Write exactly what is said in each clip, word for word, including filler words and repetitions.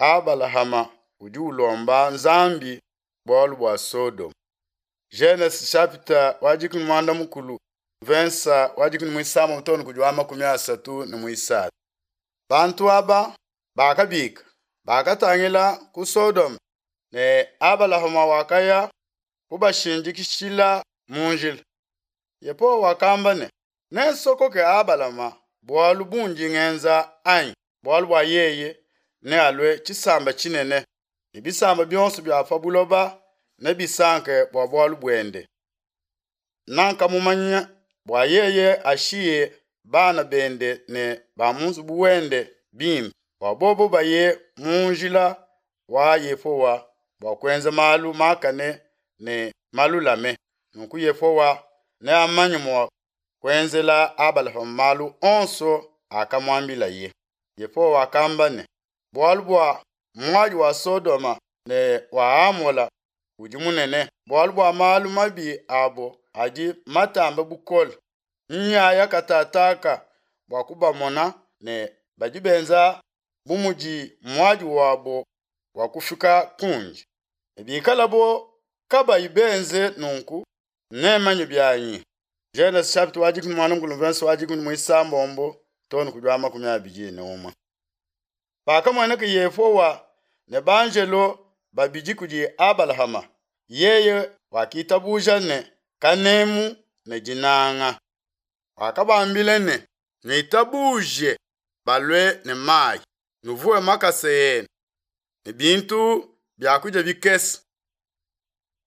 Abalahama udi ulomba Nzambi bualu bua Sodoma. Genese chapitre wa dikumi muanda mukulu verse wa dikumi muisambombo too ne kudi wa makumi asatu ne muisatu. Bantu aba bakabika bakatangila ku Sodoma ne Abalahama wakaya kubashindikishila mu njila. Yehowa wakamba ne, nensokoke Abalama bualu bundi ngenza anyi? Bualu bua yeye nealue tshisamba tshinene ne bisamba bionso bia pa buloba nebisanke bua bualu buende. Nankamumanya bua yeye ashiye bana bende ne ba mu nzubu wende bimpe, bua bobo baye mu njila wa Yehowa bua kuenza malu makane ne malulame. Nunku Yehowa neamanye mua kuenzela Abalahama malu onso akamuambilaye. Yehowa wakamba ne, bualu bua muadi wa Sodoma ne wa Amola udi munene, bualu bua malu mabi abo adi matambe bukole, nyaya katataka bua kubamona ne badi benza bu mudi muadi wabo wa kufika kundi. Ne bikalabo kabayi benze nunku, nemanye bianyi. Genese chapitre wa dikumi muanda mukulu verse wa dikumi muisambombo too ne kudi wa makumi abidi ne umue. Pakamueneka Yehowa ne banjelo babidi kudi Abalahama, yeye wakitabuja ne kanemu ne dinanga. Wakabambila ne, nuitabuje balue ne mayi, nuvuwe makasa enu ne bintu bia kudia bikese.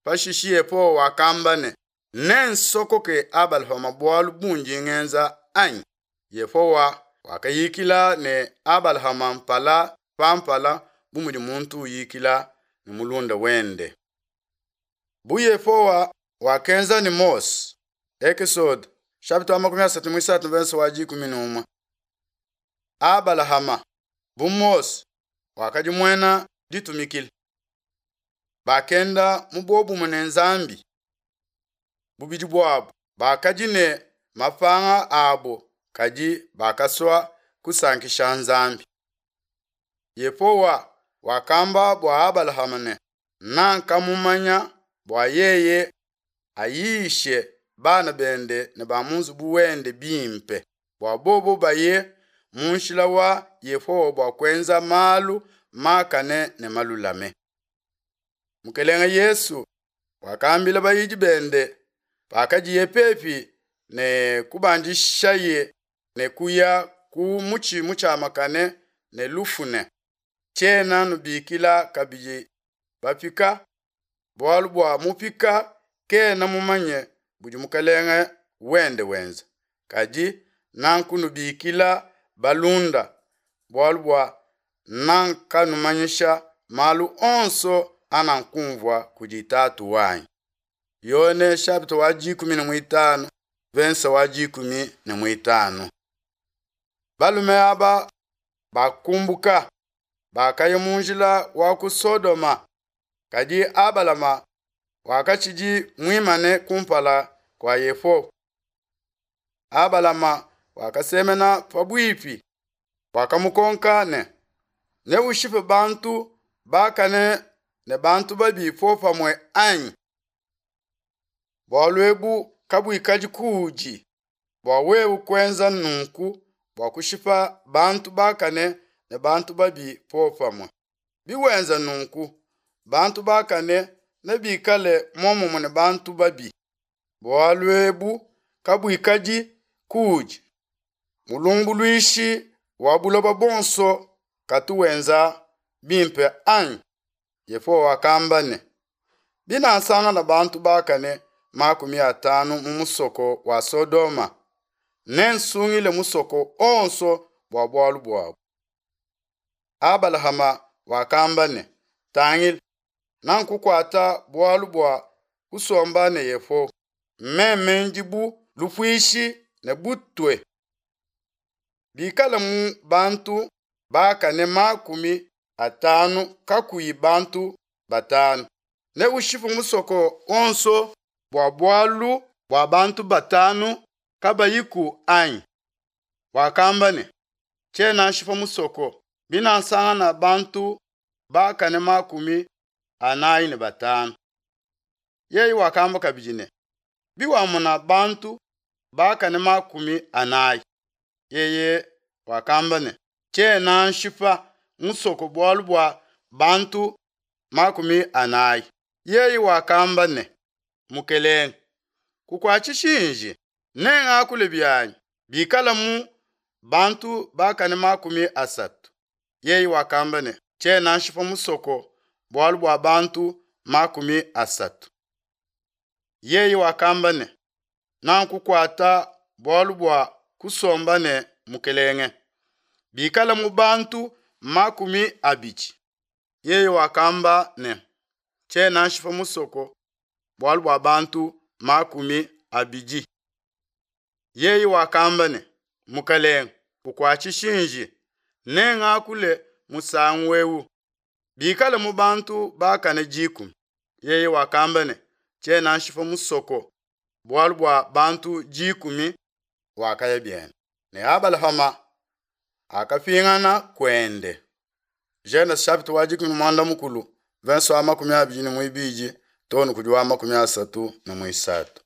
Pashishe Yehowa wakamba ne, nensokoke Abalahama bualu bundi ngenza anyi? Yehowa wakayikila ne Abalahama mpala pa mpala bu mudi muntu uyikila ne mulunda wende. Bu Yehowa wakenza ne Mose, Exode chapitre wa makumi asatu muisatu verse wa dikumi ne umue. Abalahama bu Mose wakadi muena ditumikila. Bakenda mu bobumue ne Nzambi. Bubidi buabo bakadi ne mapanga abo kadi bakasua kusankisha Nzambi. Yehowa wakamba bua Abalahama ne, nankamumanya bua yeye ayishe bana bende ne ba mu nzubu wende bimpe, bua bobo baye mu nshila wa Yehowa bua kuenza malu makane ne malulame. Mukelenge Yesu wakambila bayidi bende pakadiye pepi ne kubandishaye ne kuya ku mutshi mutshiamakane ne lufu ne, tshiena nubikila kabidi bapika, bualu bua mupika kena mumanye budi mukelenge wende wenza, kadi nankunubikila balunda, bualu bua nankanumanyisha malu onso anankumvua kudi Tatu wanyi. Yone chapitre wa dikumi ne muitanu verse wa dikumi ne muitanu. Balume aba bakumbuka bakaya mu njila wa ku Sodoma, kadi Abalama wakatshidi muimane kumpala kua Yehowa. Abalama wakasemena pabuipi, wakamukonka ne, neushipe bantu bakane ne bantu babi popamue anyi? Bualu ebu kabuikadi kuudi bua wewe kuenza nunku bua kushipa bantu bakane ne bantu babi popamue. Biwenza nunku, bantu bakane nebikale muomumue ne bantu babi. Bualu ebu kabuikadi kuudi. Mulumbuluishi wa buloba bonso katu wenza bimpe anyi? Yehowa wakamba ne, binasangana bantu bakane makumi atanu mu musoko wa Sodoma, nensungile musoko onso bua bualu buabu. Abalahama wakamba ne, tangila, nankukuata bualu bua kusomba ne Yehowa, meme ndi bu lupuishi ne butue. Bikala mu bantu bakane makumi atanu kakuyi bantu batanu, neushipe musoko onso bua bualu bua bantu batanu kabayiku anyi? Wakamba ne, tshiena nshipa musoko binasangana bantu bakane makumi anayi ne batanu. Yeye wakamba kabidi ne, Biwamona bantu bakane makumi anayi. Yeye wakamba ne, Tshiena nshipa musoko bualu bua bantu makumi anayi. Yeye wakamba ne, Mukelenge, kukuatshishi nji, nengakule bianyi bikalamu bantu bakane makumi asatu. Yeye wakamba ne, Tshiena nshipa musoko bualu bua bantu makumi asatu. Yeye wakamba ne, Nakukuata bualu bua kusomba ne mukelenge, bikala mu bantu makumi abidi. Yeye wakamba ne, Tshiena nshipa musoko bualu bua bantu makumi abidi. Yeye wakamba ne, Mukelenge, kukuatshishi nji, nengakule musangu eu, bikale mu bantu bakane dikumi. Yeye wakamba ne, Tshiena nshipa musoko bualu bua bantu dikumi. Wakaya biende ne Abalahama akapingana kuende. Genese chapitre wa dikumi ne muanda mukulu verse wa makumi abidi ne muibidi too ne kudi wa makumi asatu ne muisatu.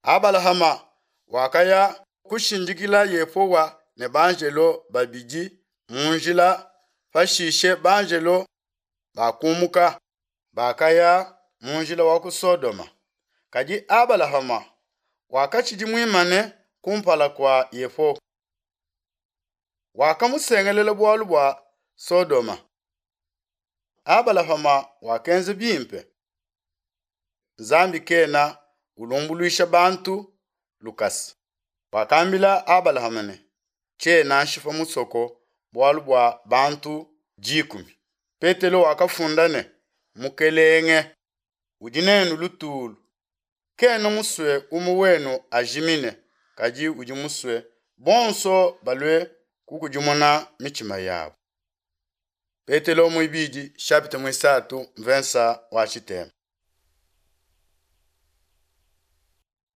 Abalahama wakaya kushindikila Yehowa ne banjelo babidi mu njila pashishe banjelo bakumuka bakaya mu njila wa ku Sodoma. Kadi Abalahama wakatshidi muimane kumpala kua Yehowa. Wakamusengelela bualu bua Sodoma. Abalahama wakenza bimpe. Nzambi kena ulumbuluisha bantu lukasa. Wakambila Abalahama ne, Tshiena nshipa musoko bualu bua bantu dikumi. Petelo wakafunda ne, Mukelenge udi nenu lutulu, kena musue umue wenu ajimine, kadi udi musue bonso balue kukudimuna mitshima yabo. Petelo muibidi chapitre muisatu mvensa wa tshitema.